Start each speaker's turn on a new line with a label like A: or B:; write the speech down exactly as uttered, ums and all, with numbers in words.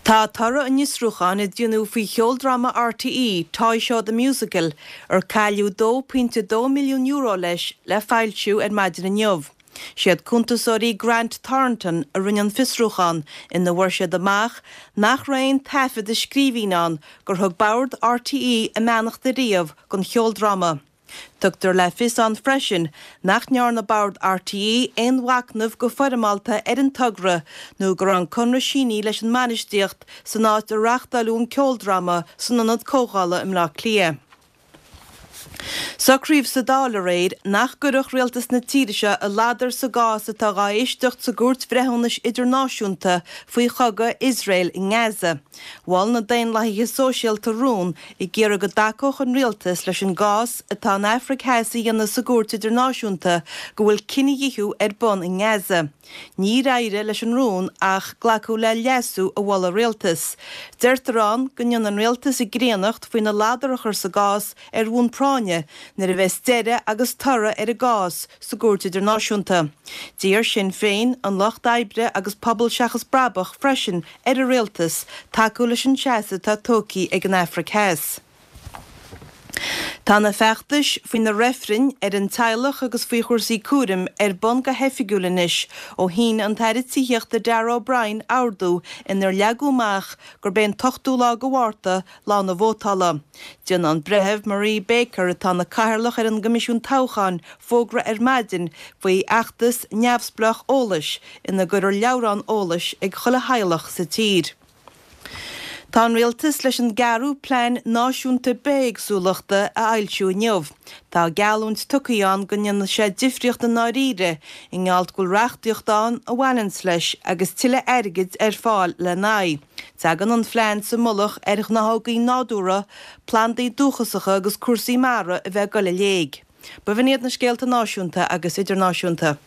A: Tá toradh an fhiosrúcháin a déanadh faoi cheoldráma RTÉ Toy Show the Musical ar cailleadh dó pointe dó milliún euro leis le foilsiú ar maidin inniu. Siad cuntasóirí Grant Thornton a rinne an fiosrúchán ina bhfuair siad amach nach raibh aon taifead i scríbhinn ann gur thug bord RTÉ a mbeannacht riamh don cheoldráma. Tugtar le fios ann freisin nach ndearna bord RTÉ aon mhachnamh go foirmeálta ar an togra nó go raibh an conradh sínithe leis an mbainistíocht san áit a reáchtáladh an ceoldráma san ionad comhdhála i mBleá Cliath. Socraíodh sa Dáil aréir nach gcuirfeadh rialtas na tíre seo a ladar sa gcás atá á éisteacht sa gCúirt Bhreithiúnais Idirnáisiúnta faoi chogadh Iosrael i nGaza. Mhol na Daonlathaithe Sóisialta rún ag iarraidh go dtacódh an rialtas leis an gcás atá an Afraic Theas a dhéanamh sa gCúirt Idirnáisiúnta go bhfuil cinedhíothú ar bun i nGaza. Níor éirigh leis an rún ach glacadh le leasú a mhol an rialtas. Deirtear ann go ndéanann an rialtas a gcríonnacht faoina ladar a chur sa gcás ar bhonn práinne nuair a bheas deireadh agus toradh ar an gcás sa gCúirt Idirnáisiúnta. D'iarr Sinn Féin an Lucht Oibre agus Pobal Seachas Brabach freisin ar an rialtas tacú leis an seasamh atá tógtha ag an Afraic Theas. Tá na feachtais faoi na reifrinn ar an teaghlach agus faoi chúrsaí cúraim ar bun go hoifigiúil anois ó shínigh an tAire Tithíochta Darragh O'Brien ordú inar leagadh amach gurb é an t-ochtú lá de Mhárta lá na vótála. Déanfaidh an Breitheamh Marie Baker atá ina cathaoirleach ar an gCoimisiún Toghcháin fógra ar maidin faoi fheachtas neamhspleách eolais ina gcuirfear leabhrán eolais ag chuile theaghlach sa tír. Tá an rialtas leis an gceathrú plean náisiúnta bithéagsúlachta a fhoilsiú inniu. Tá geallúint tugtha ann go ndéanfaidh sé difríocht i ndáiríre i ngeall go bhfuil reachtaíocht ann a bhaineanns leis agus tuilleadh airgid ar fáil lena aghaidh. Tagann an plean sa mullach ar ghnáthóga nádúrtha, plandaí dúchasacha agus cúrsaí mara a bheith ag dul i léig. B'in iad na scéalta náisiúnta agus idirnáisiúnta.